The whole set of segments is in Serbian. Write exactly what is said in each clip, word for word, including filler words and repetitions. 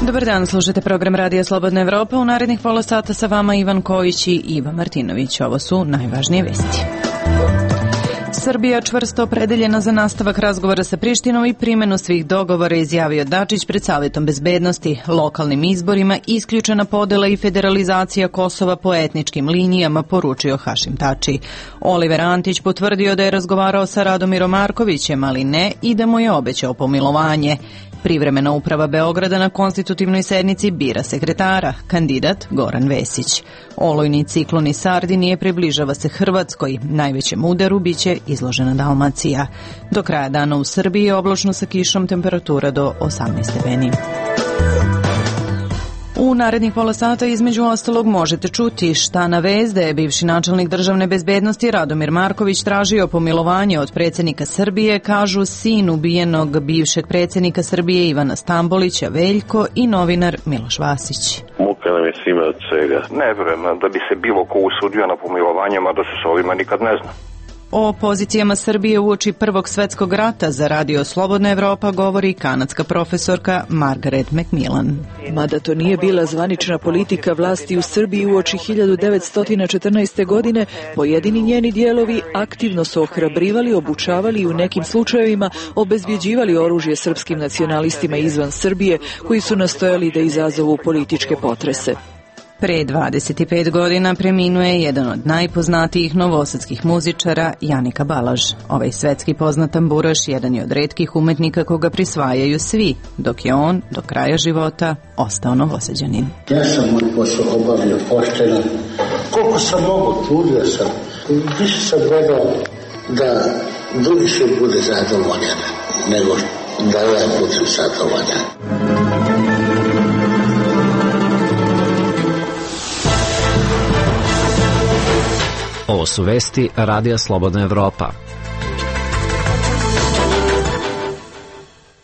Dobar dan, slušate program Radija Slobodna Evropa. U narednih pola sata sa vama Ivan Kojić i Iva Martinović. Ovo su najvažnije vesti. Srbija čvrsto opredeljena za nastavak razgovora sa Prištinom i primjenu svih dogovora, izjavio Dačić pred Savetom bezbednosti. Lokalnim izborima isključena podela i federalizacija Kosova po etničkim linijama, poručio Hašim Tači. Oliver Antić potvrdio da je razgovarao sa Radomirom Markovićem, ali ne i da mu je obećao pomilovanje. Privremena uprava Beograda na konstitutivnoj sednici bira sekretara, kandidat Goran Vesić. Olujni ciklon iz Sardinije približava se Hrvatskoj, najvećem udaru biće izložena Dalmacija. Do kraja dana u Srbiji je oblačno sa kišom, temperatura do osamnaest stepeni. U narednih pola sata između ostalog možete čuti šta na vez da je bivši načelnik državne bezbednosti Radomir Marković tražio pomilovanje od predsjednika Srbije, kažu sin ubijenog bivšeg predsjednika Srbije Ivana Stambolića, Veljko, i novinar Miloš Vasić. Muka nam je svima od svega. Ne vjerujem da bi se bilo ko usudio na pomilovanje, mada se s ovima nikad ne zna. O pozicijama Srbije uoči Prvog svetskog rata za Radio Slobodna Evropa govori kanadska profesorka Margaret Macmillan. Mada to nije bila zvanična politika vlasti u Srbiji uoči hiljadu devetsto četrnaeste. godine, pojedini njeni dijelovi aktivno su ohrabrivali, obučavali i u nekim slučajevima obezbjeđivali oružje srpskim nacionalistima izvan Srbije, koji su nastojali da izazovu političke potrese. Pre dvadeset pet godina preminuo je jedan od najpoznatijih novosadskih muzičara, Janika Balaž. Ovaj svetski poznat tamburaš jedan je od retkih umetnika koga prisvajaju svi, dok je on do kraja života ostao Novosađanin. Ja sam moj posao obavio pošteno. Koliko sam mogu, trudio sam. Više sam gledao da drugi se bude zadovoljan, nego da ja budem zadovoljan. Ovo su vesti Radija Slobodna Evropa.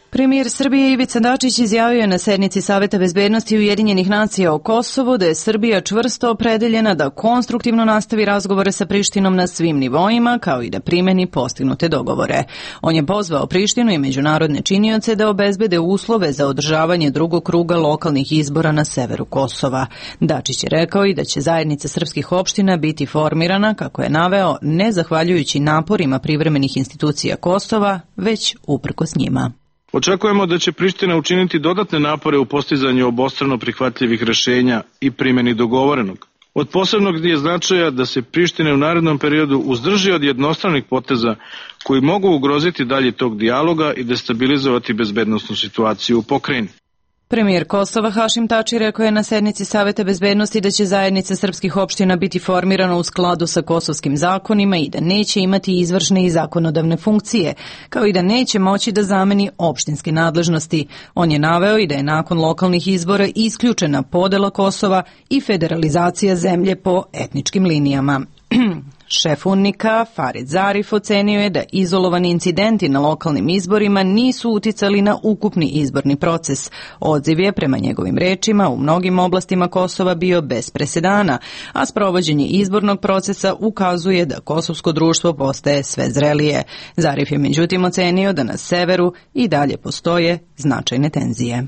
Premijer Srbije Ivica Dačić izjavio je na sednici Saveta bezbednosti Ujedinjenih nacija o Kosovu da je Srbija čvrsto opredeljena da konstruktivno nastavi razgovore sa Prištinom na svim nivoima, kao i da primeni postignute dogovore. On je pozvao Prištinu i međunarodne činioce da obezbede uslove za održavanje drugog kruga lokalnih izbora na severu Kosova. Dačić je rekao i da će zajednica srpskih opština biti formirana, kako je naveo, ne zahvaljujući naporima privremenih institucija Kosova, već uprkos njima. Očekujemo da će Priština učiniti dodatne napore u postizanju obostrano prihvatljivih rešenja i primjeni dogovorenog. Od posebnog je značaja da se Priština u narednom periodu uzdrži od jednostranih poteza koji mogu ugroziti dalje tog dijaloga i destabilizovati bezbednosnu situaciju u pokrajini. Premijer Kosova Hašim Tači rekao je na sednici Saveta bezbednosti da će zajednica srpskih opština biti formirana u skladu sa kosovskim zakonima i da neće imati izvršne i zakonodavne funkcije, kao i da neće moći da zameni opštinske nadležnosti. On je naveo i da je nakon lokalnih izbora isključena podela Kosova i federalizacija zemlje po etničkim linijama. Šef U N M I K-a Farid Zarif ocenio je da izolovani incidenti na lokalnim izborima nisu uticali na ukupni izborni proces. Odziv je, prema njegovim rečima, u mnogim oblastima Kosova bio bez presedana, a sprovođenje izbornog procesa ukazuje da kosovsko društvo postaje sve zrelije. Zarif je međutim ocenio da na severu i dalje postoje značajne tenzije.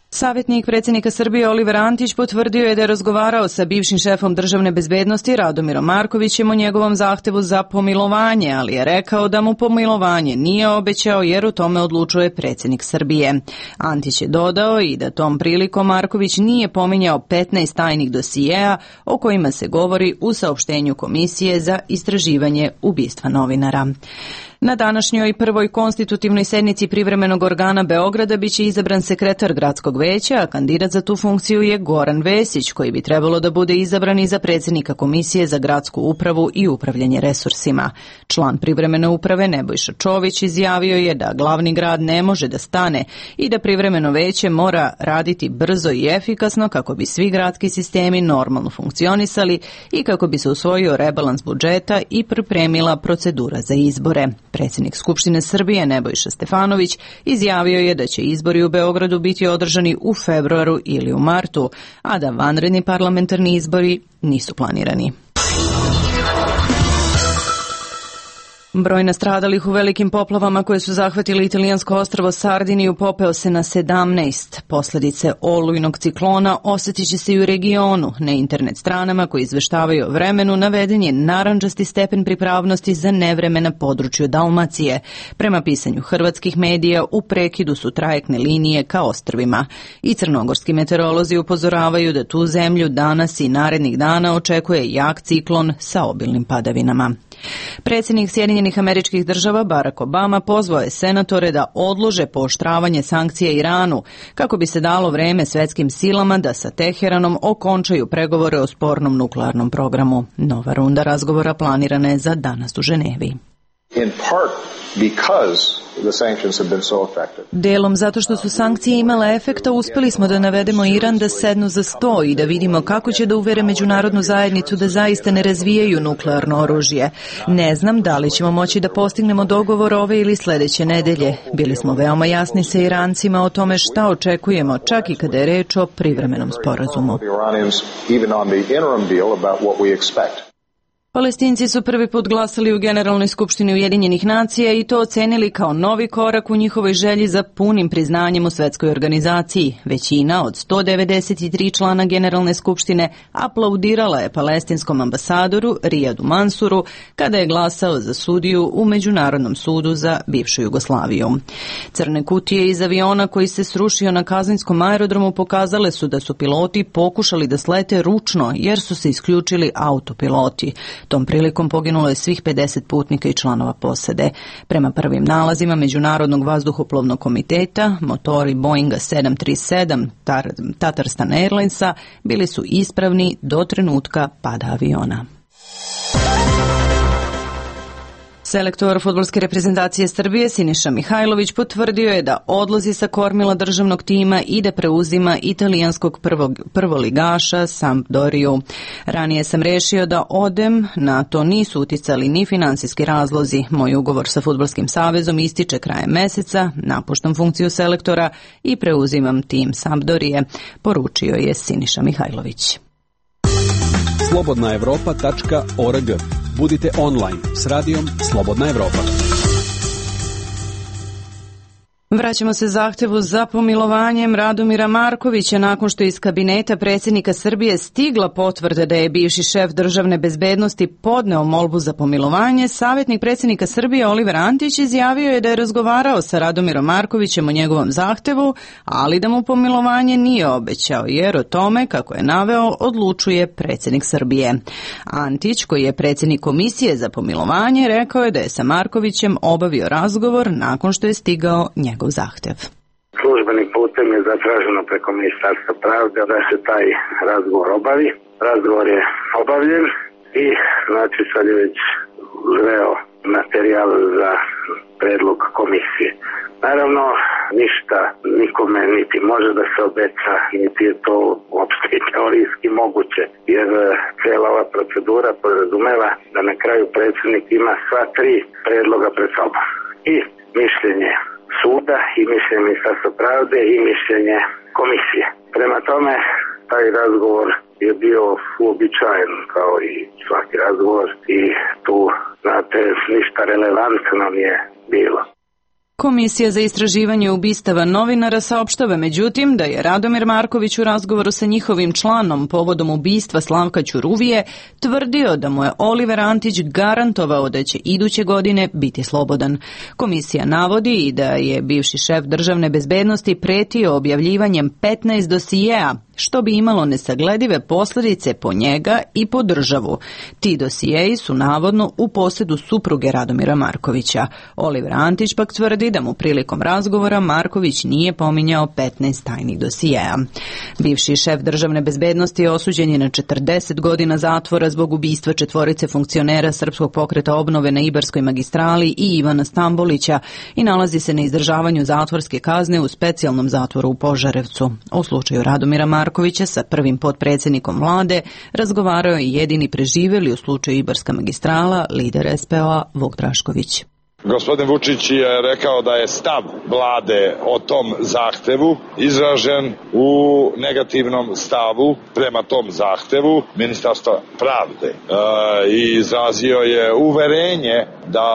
Savjetnik predsjednika Srbije Oliver Antić potvrdio je da je razgovarao sa bivšim šefom državne bezbednosti Radomirom Markovićem o njegovom zahtevu za pomilovanje, ali je rekao da mu pomilovanje nije obećao jer u tome odlučuje predsjednik Srbije. Antić je dodao i da tom prilikom Marković nije pominjao petnaest tajnih dosijeja o kojima se govori u saopštenju Komisije za istraživanje ubistva novinara. Na današnjoj prvoj konstitutivnoj sednici privremenog organa Beograda biće izabran sekretar gradskog veća, a kandidat za tu funkciju je Goran Vesić, koji bi trebalo da bude izabran i za predsjednika Komisije za gradsku upravu i upravljanje resursima. Član privremene uprave Nebojša Čović izjavio je da glavni grad ne može da stane i da privremeno veće mora raditi brzo i efikasno kako bi svi gradski sistemi normalno funkcionisali i kako bi se usvojio rebalans budžeta i pripremila procedura za izbore. Predsjednik Skupštine Srbije Nebojša Stefanović izjavio je da će izbori u Beogradu biti održani u februaru ili u martu, a da vanredni parlamentarni izbori nisu planirani. Broj nastradalih u velikim poplavama koje su zahvatili italijansko ostrvo Sardiniju popeo se na sedamnaest. Posljedice olujnog ciklona osjetit će se i u regionu. Na internet stranama koji izveštavaju o vremenu naveden je narandžasti stepen pripravnosti za nevreme na području Dalmacije. Prema pisanju hrvatskih medija u prekidu su trajektne linije ka ostrvima. I crnogorski meteorolozi upozoravaju da tu zemlju danas i narednih dana očekuje jak ciklon sa obilnim padavinama. Predsjednik Sjedinjenih Američkih Država Barack Obama pozvao je senatore da odlože pooštravanje sankcija Iranu kako bi se dalo vreme svjetskim silama da sa Teheranom okončaju pregovore o spornom nuklearnom programu. Nova runda razgovora planirana je za danas u Ženevi. In part because the sanctions have been so effective. Delom zato što su sankcije imale efekta, uspjeli smo da navedemo Iran da sednu za sto i da vidimo kako će da uvere međunarodnu zajednicu da zaista ne razvijaju nuklearno oružje. Ne znam da li ćemo moći da postignemo dogovor ove ili sljedeće nedelje. Bili smo veoma jasni sa Irancima o tome šta očekujemo, čak i kada je reč o privremenom sporazumu. Palestinci su prvi put glasali u Generalnoj skupštini Ujedinjenih nacija i to ocenili kao novi korak u njihovoj želji za punim priznanjem u svetskoj organizaciji. Većina od sto devedeset tri člana Generalne skupštine aplaudirala je palestinskom ambasadoru Rijadu Mansuru kada je glasao za sudiju u Međunarodnom sudu za bivšu Jugoslaviju. Crne kutije iz aviona koji se srušio na Kazanjskom aerodromu pokazale su da su piloti pokušali da slete ručno jer su se isključili autopiloti. Tom prilikom poginulo je svih pedeset putnika i članova posade. Prema prvim nalazima Međunarodnog vazduhoplovnog komiteta, motori Boeinga sedam tri sedam Tatarstan Airlinesa bili su ispravni do trenutka pada aviona. Selektor fudbalske reprezentacije Srbije Siniša Mihajlović potvrdio je da odlazi sa kormila državnog tima i da preuzima italijanskog prvog, prvoligaša Sampdoriju. Ranije sam rešio da odem, na to nisu uticali ni finansijski razlozi. Moj ugovor sa Fudbalskim savezom ističe krajem meseca, napuštam funkciju selektora i preuzimam tim Sampdorije, poručio je Siniša Mihajlović. slobodna evropa tačka org. Budite online s radijom Slobodna Evropa. Vraćamo se zahtevu za pomilovanjem Radomira Markovića nakon što iz kabineta predsjednika Srbije stigla potvrda da je bivši šef državne bezbednosti podneo molbu za pomilovanje. Savjetnik predsjednika Srbije Oliver Antić izjavio je da je razgovarao sa Radomirom Markovićem o njegovom zahtevu, ali da mu pomilovanje nije obećao, jer o tome, kako je naveo, odlučuje predsjednik Srbije. Antić, koji je predsjednik komisije za pomilovanje, rekao je da je sa Markovićem obavio razgovor nakon što je stigao njegov zahtev. Službenim putem je zatraženo preko Ministarstva pravde da se taj razgovor obavi. Razgovor je obavljen i znači sad je već zreo materijal za predlog komisije. Naravno, ništa nikome niti može da se obeća, niti je to uopšte teorijski moguće, jer cijela ova procedura podrazumeva da na kraju predsjednik ima sva tri predloga pred sobom. I mišljenje suda i mišljenje Ministarstva pravde i mišljenje komisije. Prema tome, taj razgovor je bio uobičajen kao i svaki razgovor i tu, znate, ništa relevantno nije bilo. Komisija za istraživanje ubistava novinara saopštava međutim da je Radomir Marković u razgovoru sa njihovim članom povodom ubistva Slavka Ćuruvije tvrdio da mu je Oliver Antić garantovao da će iduće godine biti slobodan. Komisija navodi i da je bivši šef državne bezbednosti pretio objavljivanjem petnaest dosijeja, što bi imalo nesagledive posljedice po njega i po državu. Ti dosijeji su navodno u posjedu supruge Radomira Markovića. Oliver Antić pak tvrdi da mu prilikom razgovora Marković nije pominjao petnaest tajnih dosijeja. Bivši šef državne bezbednosti osuđen je na četrdeset godina zatvora zbog ubistva četvorice funkcionera Srpskog pokreta obnove na Ibarskoj magistrali i Ivana Stambolića i nalazi se na izdržavanju zatvorske kazne u specijalnom zatvoru u Požarevcu. U slučaju Radomira Markovića sa prvim potpredsjednikom vlade razgovarao je jedini preživjeli u slučaju Ibarska magistrala, lider es pe o-a Vuk Drašković. Gospodin Vučić je rekao da je stav vlade o tom zahtevu izražen u negativnom stavu prema tom zahtevu Ministarstva pravde e, i izrazio je uverenje da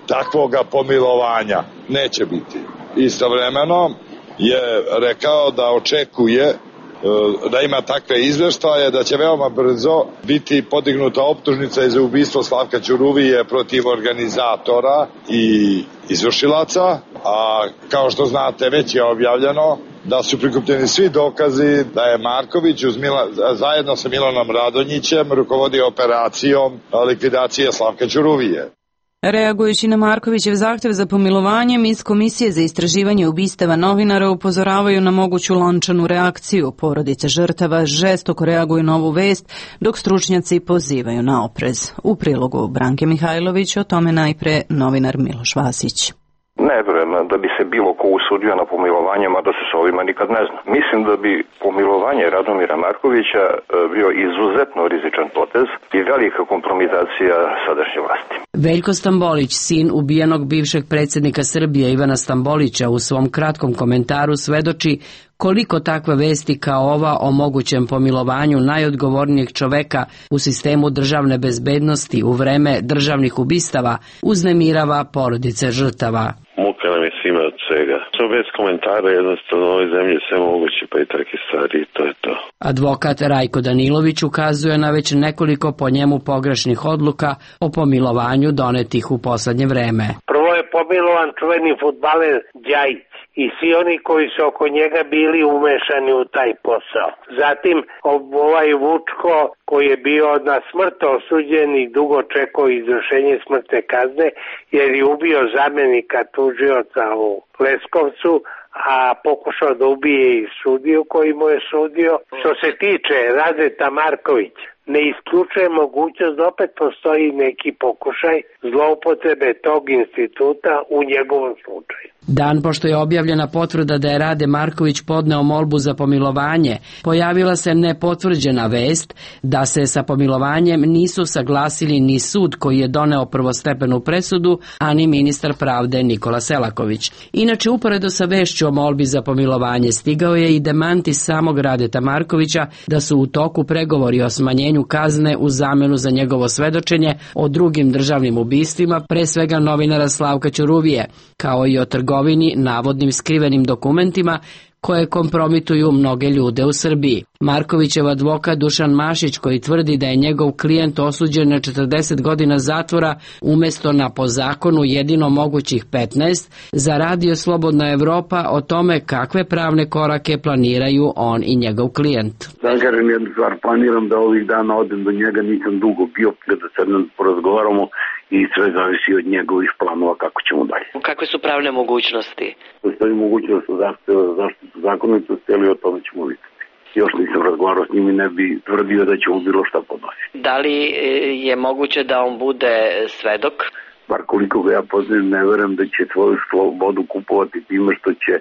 takvoga pomilovanja neće biti. Istovremeno je rekao da očekuje da ima takve izveštaje, da će veoma brzo biti podignuta optužnica za ubistvo Slavka Ćuruvije protiv organizatora i izvršilaca, a kao što znate već je objavljeno da su prikupljeni svi dokazi da je Marković uz Mila, zajedno sa Milanom Radonjićem rukovodio operacijom likvidacije Slavka Ćuruvije. Reagujući na Markovićev zahtev za pomilovanjem, iz Komisije za istraživanje ubistava novinara upozoravaju na moguću lančanu reakciju. Porodice žrtava žestoko reaguju na ovu vest, dok stručnjaci pozivaju na oprez. U prilogu Branke Mihajlović, o tome najpre novinar Miloš Vasić. Ne vjerujem da bi se bilo ko usudio na pomilovanje, mada se s ovima nikad ne zna. Mislim da bi pomilovanje Radomira Markovića bio izuzetno rizičan potez i velika kompromitacija sadašnje vlasti. Veljko Stambolić, sin ubijenog bivšeg predsjednika Srbije Ivana Stambolića, u svom kratkom komentaru svedoči koliko takve vesti kao ova o mogućem pomilovanju najodgovornijeg čoveka u sistemu državne bezbednosti u vreme državnih ubistava uznemirava porodice žrtava. Muka nam je svima od svega. Samo bez komentara, jednostavno u ovoj zemlji sve moguće, pa i takve stvari, to je to. Advokat Rajko Danilović ukazuje na već nekoliko po njemu pogrešnih odluka o pomilovanju donetih u poslednje vreme. Prvo je pomilovan čuveni fudbaler Đajić i svi oni koji su oko njega bili umešani u taj posao. Zatim ovaj Vučko koji je bio na smrt osuđen i dugo čekao izvršenje smrtne kazne jer je ubio zamjenika tužioca u Leskovcu, a pokušao da ubije i sudiju koji mu je sudio. Što se tiče Radeta Markovića, ne isključuje mogućnost da opet postoji neki pokušaj zloupotrebe tog instituta u njegovom slučaju. Dan pošto je objavljena potvrda da je Rade Marković podneo molbu za pomilovanje, pojavila se nepotvrđena vest da se sa pomilovanjem nisu saglasili ni sud koji je doneo prvostepenu presudu, a ni ministar pravde Nikola Selaković. Inače, uporedo sa vešću o molbi za pomilovanje stigao je i demanti samog Radeta Markovića da su u toku pregovori o smanjenju kazne u zamenu za njegovo svedočenje o drugim državnim ubistvima, pre svega novinara Slavka Ćuruvije, kao i o trgovini navodnim skrivenim dokumentima koje kompromituju mnoge ljude u Srbiji. Markovićev advokat Dušan Mašić, koji tvrdi da je njegov klijent osuđen na četrdeset godina zatvora umesto na po zakonu jedino mogućih petnaest, za Radio Slobodna Evropa o tome kakve pravne korake planiraju on i njegov klijent. Da kažem jednu stvar, planiram da ovih dana odem do njega, nisam dugo bio, da sednem porazgovaramo i sve zavisi od njegovih planova kako ćemo dalje. Kakve su pravne mogućnosti? Postoji mogućnost zahteva za zaštitu zakonitosti, ali o tome ćemo vidjeti. Još nisam razgovarao s njim i ne bi tvrdio da ćemo bilo šta podnositi. Da li je moguće da on bude svedok? Bar koliko ga ja poznajem, ne verujem da će svoju slobodu kupovati time što će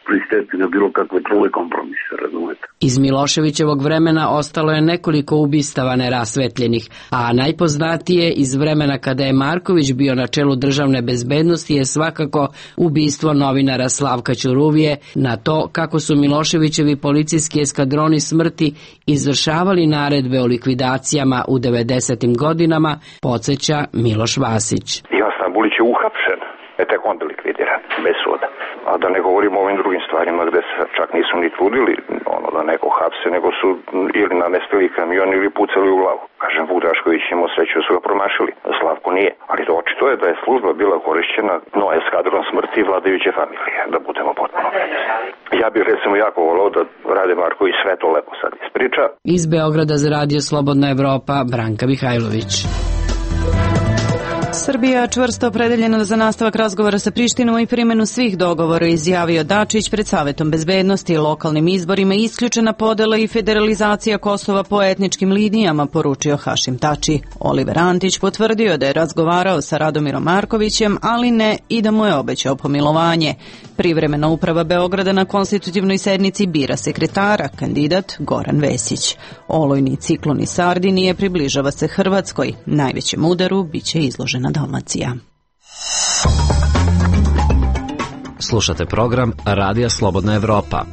pristati na bilo kakve trule kompromise, razumete. Iz Miloševićevog vremena ostalo je nekoliko ubistava nerasvetljenih, a najpoznatije iz vremena kada je Marković bio na čelu državne bezbednosti je svakako ubistvo novinara Slavka Ćuruvije. Na to kako su Miloševićevi policijski eskadroni smrti izvršavali naredbe o likvidacijama u devedesetim godinama, podsjeća Miloš Vasić. Ivan Stambolić je uhapšen, je tek onda likvidiran, bez suda. A da ne govorimo o ovim drugim stvarima gde se čak nisu ni trudili ono, da neko hapse, nego su ili namestili kamion ili pucali u glavu. Kažem, Vuk Drašković imao sreću da su ga promašili, Slavko nije. Ali to očito je da je služba bila korišćena no eskadron smrti vladajuće familije, da budemo potpuno precizni. Ja bih recimo jako volao da Rade Marković sve to lepo sad ispriča. Iz Beograda za Radio Slobodna Evropa, Branka Mihajlović. Srbija čvrsto opredeljena za nastavak razgovora sa Prištinom i primjenu svih dogovora, izjavio Dačić pred Savetom bezbednosti i lokalnim izborima. Isključena podela i federalizacija Kosova po etničkim linijama, poručio Hašim Tači. Oliver Antić potvrdio da je razgovarao sa Radomirom Markovićem, ali ne i da mu je obećao pomilovanje. Privremena uprava Beograda na konstitutivnoj sednici bira sekretara, kandidat Goran Vesić. Olujni ciklon iz Sardinije približava se Hrvatskoj. Najvećem udaru biće izložena Dalmacija. Slušate program Radija Slobodna Evropa.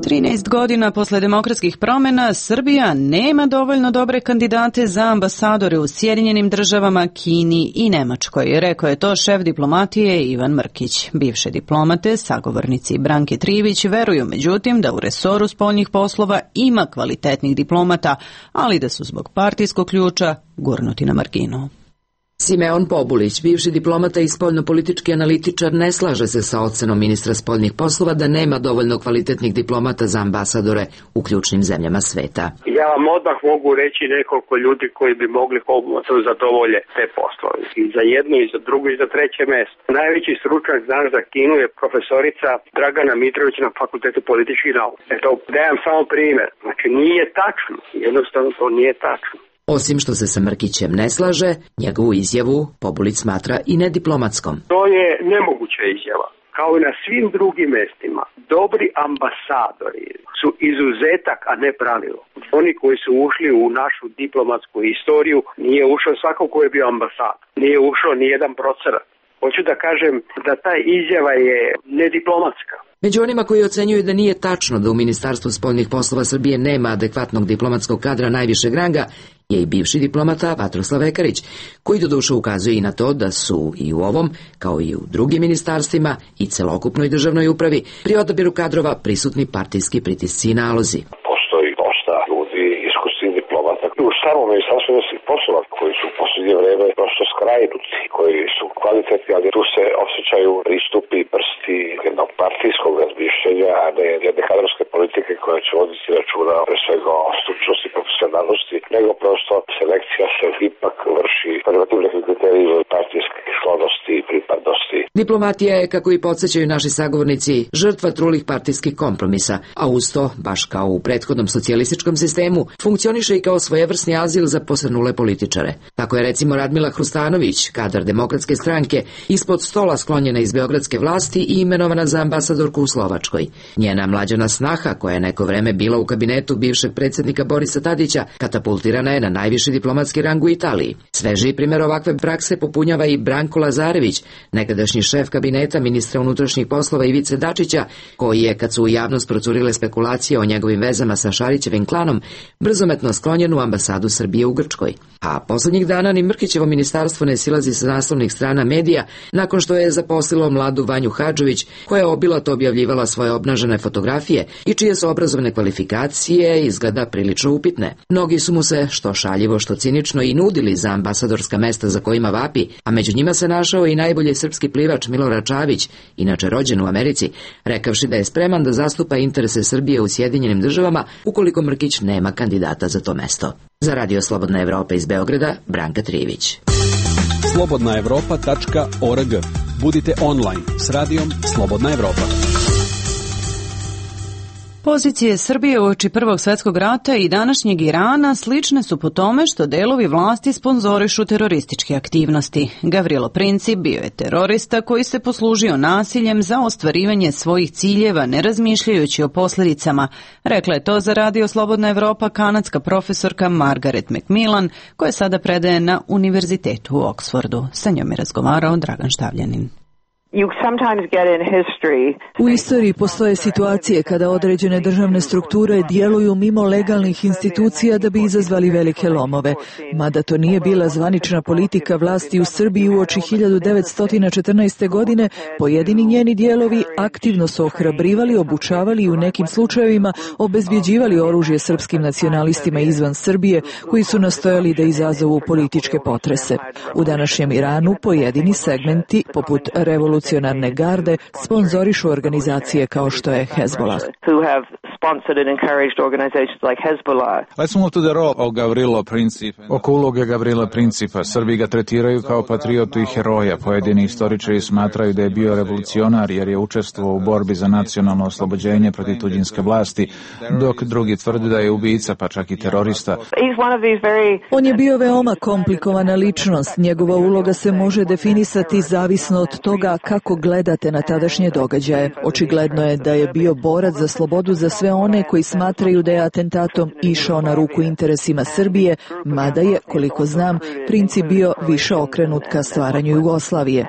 trinaest godina posle demokratskih promjena Srbija nema dovoljno dobre kandidate za ambasadore u Sjedinjenim državama, Kini i Nemačkoj. Rekao je to šef diplomatije Ivan Mrkić. Bivše diplomate, sagovornici Branke Trivić, veruju međutim da u resoru spoljnih poslova ima kvalitetnih diplomata, ali da su zbog partijskog ključa gurnuti na marginu. Simeon Pobulić, bivši diplomata i spoljnopolitički analitičar, ne slaže se sa ocenom ministra spoljnih poslova da nema dovoljno kvalitetnih diplomata za ambasadore u ključnim zemljama sveta. Ja vam odmah mogu reći nekoliko ljudi koji bi mogli pomoći zadovolje te poslove. I za jedno, i za drugo, i za treće mesto. Najveći stručnjak danas za Kinu je profesorica Dragana Mitrović na Fakultetu političkih nauka. Eto, dajem samo primjer. Znači, nije tačno. Jednostavno, to nije tačno. Osim što se sa Mrkićem ne slaže, njegovu izjavu Pobulić smatra i nediplomatskom. To je nemoguća izjava. Kao i na svim drugim mestima, dobri ambasadori su izuzetak, a ne pravilo. Oni koji su ušli u našu diplomatsku istoriju, nije ušao svako ko je bio ambasador. Nije ušao ni jedan procenat. Hoću da kažem da ta izjava je nediplomatska. Među onima koji ocenjuju da nije tačno da u Ministarstvu spoljnih poslova Srbije nema adekvatnog diplomatskog kadra najvišeg ranga je i bivši diplomata Vatroslav Ekarić, koji doduše ukazuje i na to da su i u ovom, kao i u drugim ministarstvima i celokupnoj državnoj upravi, pri odabiru kadrova prisutni partijski pritisci i nalozi. Postoji dosta ljudi, iskusnih diplomata u samom Ministarstvu inostranih poslova koji su u posljednje vreme prosto skrajnuti, koji su kvalitetni, ali tu se osjećaju pristupi prsti jednog partijskog razmišljenja, a ne jedne kadrovske politike koja će voditi računa pre svega o stručnosti i profesionalnosti, nego prosto selekcija se ipak vrši prema tim nekim kriterijima partijske sklonosti i pripadnosti. Diplomatija je, kako i podsjećaju naši sagovornici, žrtva trulih partijskih kompromisa, a uz to, baš kao u prethodnom socijalističkom sistemu, funkcioniše i kao svojevrsni azil za posrnule političare. Tako je recimo Radmila Hrustanović, kadar Demokratske stranke, ispod stola sklonjena iz beogradske vlasti i imenovana za ambasadorku u Slovačkoj. Njena mlađana snaha, koja je neko vreme bila u kabinetu bivšeg predsjednika Borisa Tadića, katapultirana je na najviši diplomatski rang u Italiji. Sveži primjer ovakve prakse popunjava i Branko Lazarević, nekadašnji šef kabineta ministra unutrašnjih poslova Ivice Dačića, koji je, kad su u javnost procurile spekulacije o njegovim vezama sa Šarićevim klanom, brzometno sklonjen u ambasadu Srbije u Grčkoj. A poslednjih dana ni Mrkićevo ministarstvo ne silazi sa naslovnih strana medija nakon što je zaposlilo mladu Vanju Hadžović, koja je obilato objavljivala svoje obnažene fotografije i čije su obrazovne kvalifikacije izgleda prilično upitne. Mnogi su mu se, što šaljivo, što cinično, i nudili za ambasadorska mesta za kojima vapi, a među njima se našao i najbolji srpski plivač Milorad Čavić, inače rođen u Americi, rekavši da je spreman da zastupa interese Srbije u Sjedinjenim državama ukoliko Mrkić nema kandidata za to mesto. Za Radio Slobodna Evropa iz Beograda, Branka Trivić. slobodna evropa tačka org. Budite online s radijom Slobodna Evropa. Pozicije Srbije uoči Prvog svjetskog rata i današnjeg Irana slične su po tome što delovi vlasti sponzorišu terorističke aktivnosti. Gavrilo Princip bio je terorista koji se poslužio nasiljem za ostvarivanje svojih ciljeva, ne razmišljajući o posljedicama. Rekla je to za Radio Slobodna Evropa kanadska profesorka Margaret McMillan, koja sada predaje na Univerzitetu u Oksfordu. Sa njom je razgovarao Dragan Štavljanin. U istoriji postoje situacije kada određene državne strukture djeluju mimo legalnih institucija da bi izazvali velike lomove. Mada to nije bila zvanična politika vlasti u Srbiji uoči hiljadu devetsto četrnaeste. godine, pojedini njeni dijelovi aktivno su ohrabrivali, obučavali i u nekim slučajevima obezbjeđivali oružje srpskim nacionalistima izvan Srbije koji su nastojali da izazovu političke potrese. U današnjem Iranu pojedini segmenti, poput revolucije Revolucionarne garde, sponzorišu organizacije kao što je Hezbollah. Oko uloge Gavrila Principa, Srbi ga tretiraju kao patriotu i heroja. Pojedini istoričari smatraju da je bio revolucionar jer je učestvovao u borbi za nacionalno oslobođenje protiv tuđinske vlasti, dok drugi tvrde da je ubica, pa čak i terorista. On je bio veoma komplikovana ličnost. Njegova uloga se može definisati zavisno od toga kako gledate na tadašnje događaje. Očigledno je da je bio borac za slobodu za sve sve one koji smatraju da je atentatom išao na ruku interesima Srbije, mada je, koliko znam, princip bio više okrenut ka stvaranju Jugoslavije.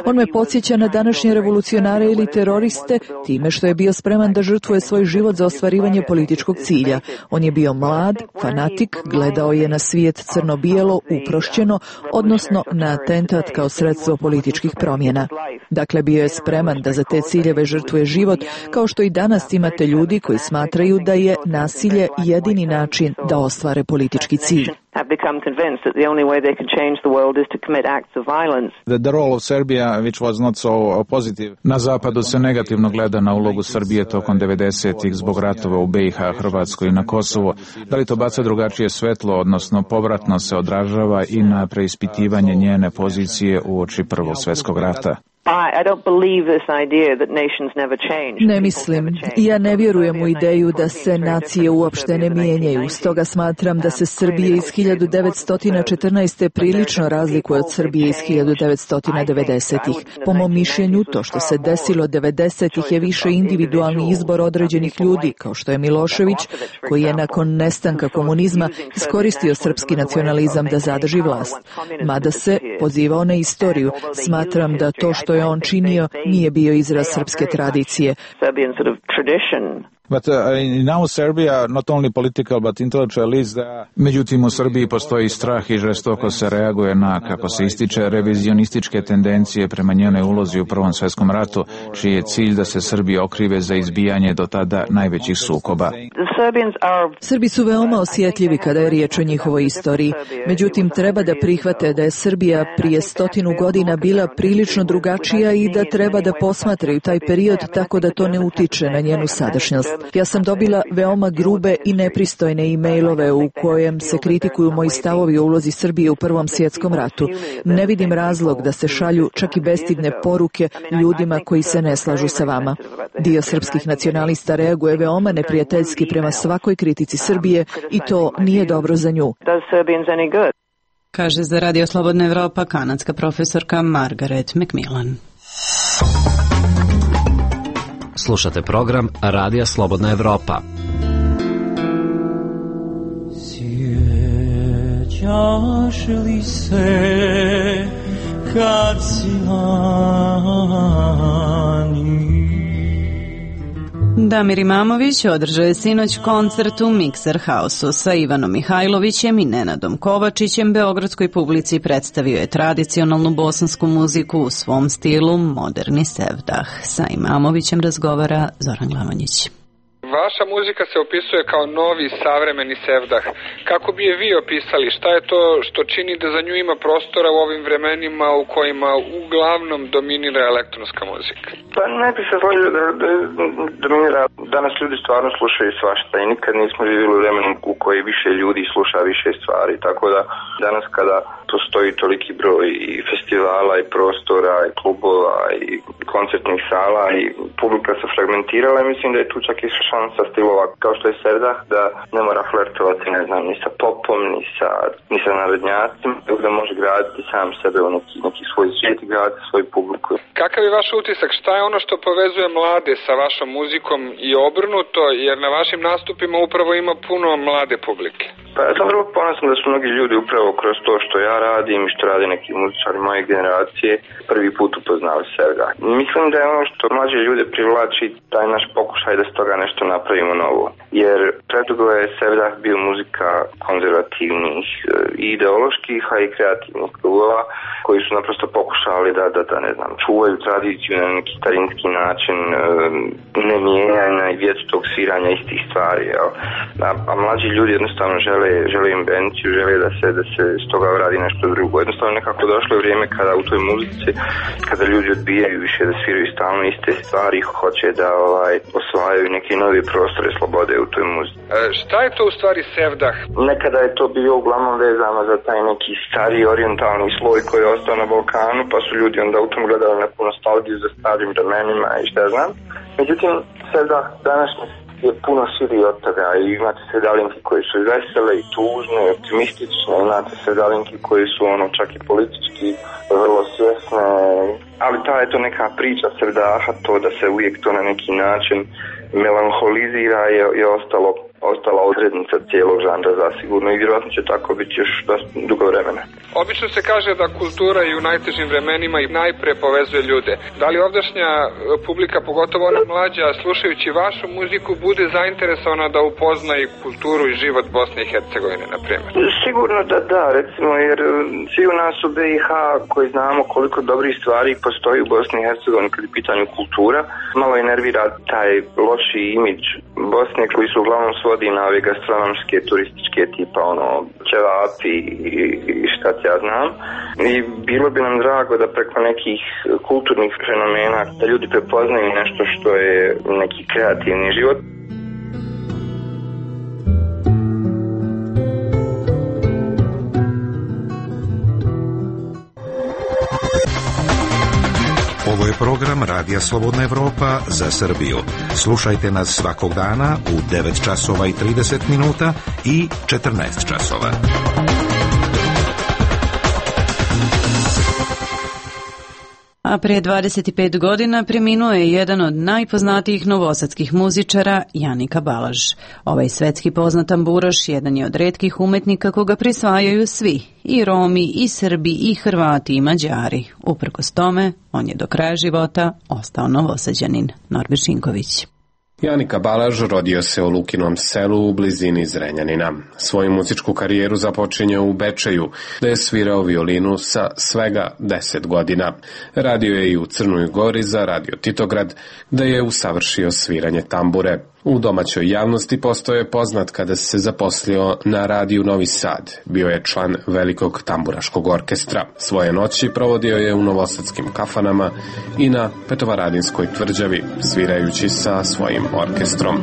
On me podsjeća na današnje revolucionare ili teroriste time što je bio spreman da žrtvuje svoj život za ostvarivanje političkog cilja. On je bio mlad, fanatik, gledao je na svijet crno-bijelo, uprošćeno, odnosno na atentat kao sredstvo političkih promjena. Dakle, bio je spreman da za te ciljeve žrtvuje život, kao što i danas imate ljudi koji smatraju da je nasilje jedini način da ostvare politički cilj. have become convinced that the only way they can change the world is to commit acts of violence. The, the role of Serbia, which was not so positive. Na zapadu se negativno gleda na ulogu Srbije tokom devedesetih zbog ratova u B i H, Hrvatskoj i na Kosovo. Da li to baca drugačije svetlo, odnosno povratno se odražava i na preispitivanje njene pozicije uoči Prvog svjetskog rata? Ne mislim. Ja ne vjerujem u ideju da se nacije uopšte ne mijenjaju. Stoga smatram da se Srbije iz hiljadu devetsto četrnaeste. prilično razlikuje od Srbije iz hiljadu devetsto devedesetih. Po mom mišljenju, to što se desilo devedesetih je više individualni izbor određenih ljudi, kao što je Milošević, koji je nakon nestanka komunizma iskoristio srpski nacionalizam da zadrži vlast. Mada se pozivao na istoriju, smatram da to što je on činio nije bio izraz srpske tradicije. But uh, now Serbia, not only political but intellectual, is the... Međutim, u Srbiji postoji strah i žestoko se reaguje na, kako se ističe, revizionističke tendencije prema njenoj ulozi u Prvom svjetskom ratu, čiji je cilj da se Srbi okrive za izbijanje do tada najvećih sukoba. Srbi su veoma osjetljivi kada je riječ o njihovoj istoriji. Međutim, treba da prihvate da je Srbija prije stotinu godina bila prilično drugačija i da treba da posmatraju taj period tako da to ne utiče na njenu sadašnjost. Ja sam dobila veoma grube i nepristojne e-mailove u kojem se kritikuju moji stavovi o ulozi Srbije u Prvom svjetskom ratu. Ne vidim razlog da se šalju čak i bestidne poruke ljudima koji se ne slažu sa vama. Dio srpskih nacionalista reaguje veoma neprijateljski prema svakoj kritici Srbije i to nije dobro za nju. Kaže za Radio Slobodna Evropa kanadska profesorka Margaret McMillan. Slušate program Radija Slobodna Evropa. Sjećaš li se kad si lani? Damir Imamović održao je sinoć koncert u Mixer House-u sa Ivanom Mihajlovićem i Nenadom Kovačićem. Beogradskoj publici predstavio je tradicionalnu bosansku muziku u svom stilu moderni sevdah. Sa Imamovićem razgovara Zoran Glavanjić. Vaša muzika se opisuje kao novi savremeni sevdah. Kako bi je vi opisali? Šta je to što čini da za nju ima prostora u ovim vremenima u kojima uglavnom dominira elektronska muzika? Pa ne bi se složio da, da dominira. Danas ljudi stvarno slušaju svašta i nikad nismo živjeli u vremenu u koji više ljudi sluša više stvari. Tako da danas kada postoji toliki broj i festivala i prostora i klubova i koncertnih sala i publika se fragmentirala, mislim da je tu čak i šansa stilova kao što je sevdah da ne mora flertovati, ne znam, ni sa popom, ni sa, ni sa narodnjacima, da može graditi sam sebe u neki, neki svoj svijet i graditi svoju publiku. Kakav je vaš utisak? Šta je ono što povezuje mlade sa vašom muzikom i obrnuto, jer na vašim nastupima upravo ima puno mlade publike? Pa ja sam vrlo ponosan da su mnogi ljudi upravo kroz to što ja radim i što rade neki muzičari moje generacije prvi put upoznali sevdah. Mislim da je ono što mlađe ljude privlači taj naš pokušaj da s toga nešto napravimo novo. Jer predugo je sevdah bio muzika konzervativnih i ideoloških, a i kreativnih klubova koji su naprosto pokušali da, da, da ne znam, čuvaju tradiciju na neki starinski način, ne mijenjanja i vječitog sviranja istih stvari. Jel? A, a mlađi ljudi jednostavno žele, žele invenciju, žele da se, da se s toga radi nešto drugo. Jednostavno nekako došlo je vrijeme kada u toj muzici, kada ljudi odbijaju više da sviraju stalno iste stvari, hoće da ovaj, osvajaju neke nove prostore slobode u toj muzici. E, šta je to u stvari sevdah? Nekada je to bio uglavnom vezano za taj neki stari orijentalni sloj koji je ostao na Balkanu, pa su ljudi onda u tom gledali neku nostalgiju za starim vremenima i šta znam. Međutim, sevdah današnji je puno širi od toga i imate sredalinke koje su vesele i tužne, optimistične, imate sredalinke koje su ono čak i politički vrlo svjesne, ali ta je to neka priča sredaha, to da se uvijek to na neki način melanholizira je, je ostalo ostala odrednica cijelog žanra zasigurno i vjerojatno će tako biti još dosta dugo vremena. Obično se kaže da kultura i u najtežim vremenima i najpre povezuje ljude. Da li ovdašnja publika, pogotovo ona mlađa, slušajući vašu muziku, bude zainteresovana da upozna i kulturu i život Bosne i Hercegovine, na primjer? Sigurno da da, recimo, jer svi u nas u B i H koji znamo koliko dobrih stvari postoji u Bosni i Hercegovini kad je pitanju kultura, malo je nervira taj loši imidž Bosne koji su uglavnom svodi na ove gastronomske, turističke tipa ono ćevapi i šta ja znam. I bilo bi nam drago da preko nekih kulturnih fenomena da ljudi prepoznaju nešto što je neki kreativni život. Ovo je program Radija Slobodna Evropa za Srbiju. Slušajte nas svakog dana u devet časova i trideset minuta i četrnaest časova. A prije dvadeset pet godina preminuo je jedan od najpoznatijih novosadskih muzičara, Janika Balaž. Ovaj svetski poznat tamburaš jedan je od retkih umetnika koga prisvajaju svi, i Romi, i Srbi, i Hrvati, i Mađari. Uprkos tome, on je do kraja života ostao Novosađanin. Norbert Šinković. Janika Balaž rodio se u Lukinom selu u blizini Zrenjanina. Svoju muzičku karijeru započinje u Bečeju, da je svirao violinu sa svega deset godina. Radio je i u Crnoj Gori za Radio Titograd, da je usavršio sviranje tambure. U domaćoj javnosti postao je poznat kada se zaposlio na radiju Novi Sad. Bio je član velikog tamburaškog orkestra. Svoje noći provodio je u novosadskim kafanama i na Petovaradinskoj tvrđavi, svirajući sa svojim orkestrom.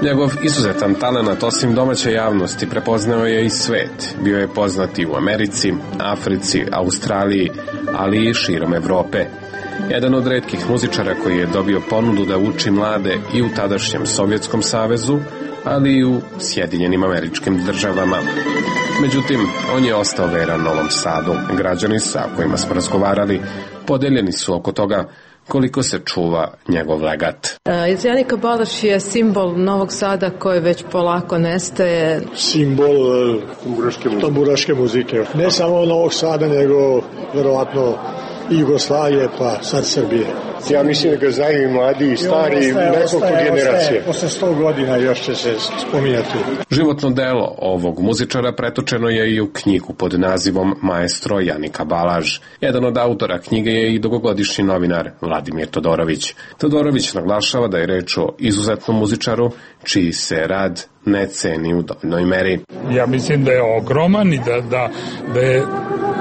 Njegov izuzetan talenat osim domaće javnosti prepoznao je i svet. Bio je poznat i u Americi, Africi, Australiji, ali i širom Evrope. Jedan od retkih muzičara koji je dobio ponudu da uči mlade i u tadašnjem Sovjetskom savezu, ali i u Sjedinjenim Američkim Državama. Međutim, on je ostao veran Novom Sadu. Građani sa kojima smo razgovarali podeljeni su oko toga koliko se čuva njegov legat. Uh, Janika Balaž je simbol Novog Sada koji već polako nestaje. Simbol uh, tamburaške muzike. Ne samo Novog Sada, nego verovatno i Jugoslavije, pa sad Srbije. Ja mislim da ga znaju i mladi i stari, i nekoliko generacije. Posle sto godina još će se spominjati. Životno delo ovog muzičara pretočeno je i u knjigu pod nazivom Maestro Janika Balaž. Jedan od autora knjige je i dugogodišnji novinar Vladimir Todorović. Todorović naglašava da je reč o izuzetnom muzičaru čiji se rad ne ceni u dovoljnoj meri. Ja mislim da je ogroman i da, da, da je,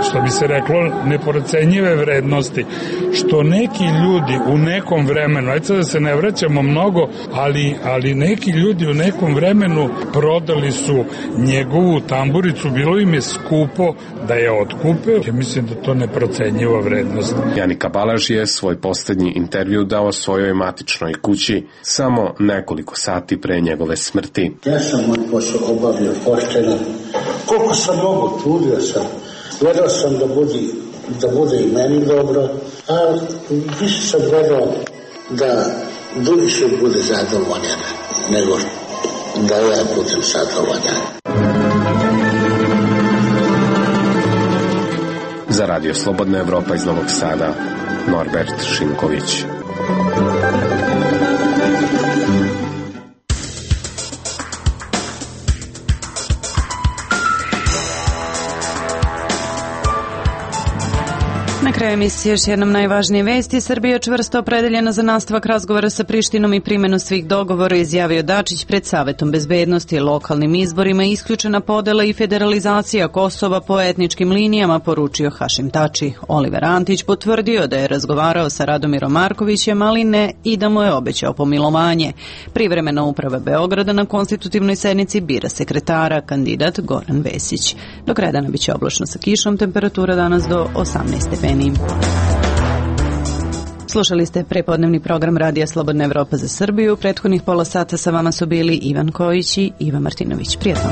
što bi se reklo, neprocenjive vrednosti, što neki ljudi u nekom vremenu, ajde da se ne vraćamo mnogo, ali, ali neki ljudi u nekom vremenu prodali su njegovu tamburicu, bilo im je skupo da je otkupe. Ja mislim da to neprocenjiva vrednost. Janika Balaž je svoj poslednji intervju dao svojoj matičnoj kući samo nekoliko sati pre njegove smrti. Ja sam moj posao obavio pošteno. Koliko sam mogu, trudio sam. Gledao sam da bude, da bude i meni dobro, a više sam gledao da duše bude zadovoljan, nego da ja budem zadovoljan. Za Radio Slobodna Evropa iz Novog Sada, Norbert Šinković. Na kraja emisije još jednom najvažnije vesti. Srbija je čvrsto opredeljena za nastavak razgovora sa Prištinom i primjenu svih dogovora, izjavio Dačić pred Savetom bezbednosti. Lokalnim izborima isključena podela i federalizacija Kosova po etničkim linijama, poručio Hašim Tači. Oliver Antić potvrdio da je razgovarao sa Radomirom Markovićem, ali ne i da mu je obećao pomilovanje. Privremena uprava Beograda na konstitutivnoj sednici bira sekretara, kandidat Goran Vesić. Do kraja dana biće oblačno sa kišom, temperatura danas do osamnaest stepeni. Slušali ste prepodnevni program Radija Slobodna Evropa za Srbiju. Prethodnih pola sata sa vama su bili Ivan Kojić i Iva Martinović. Prijatno.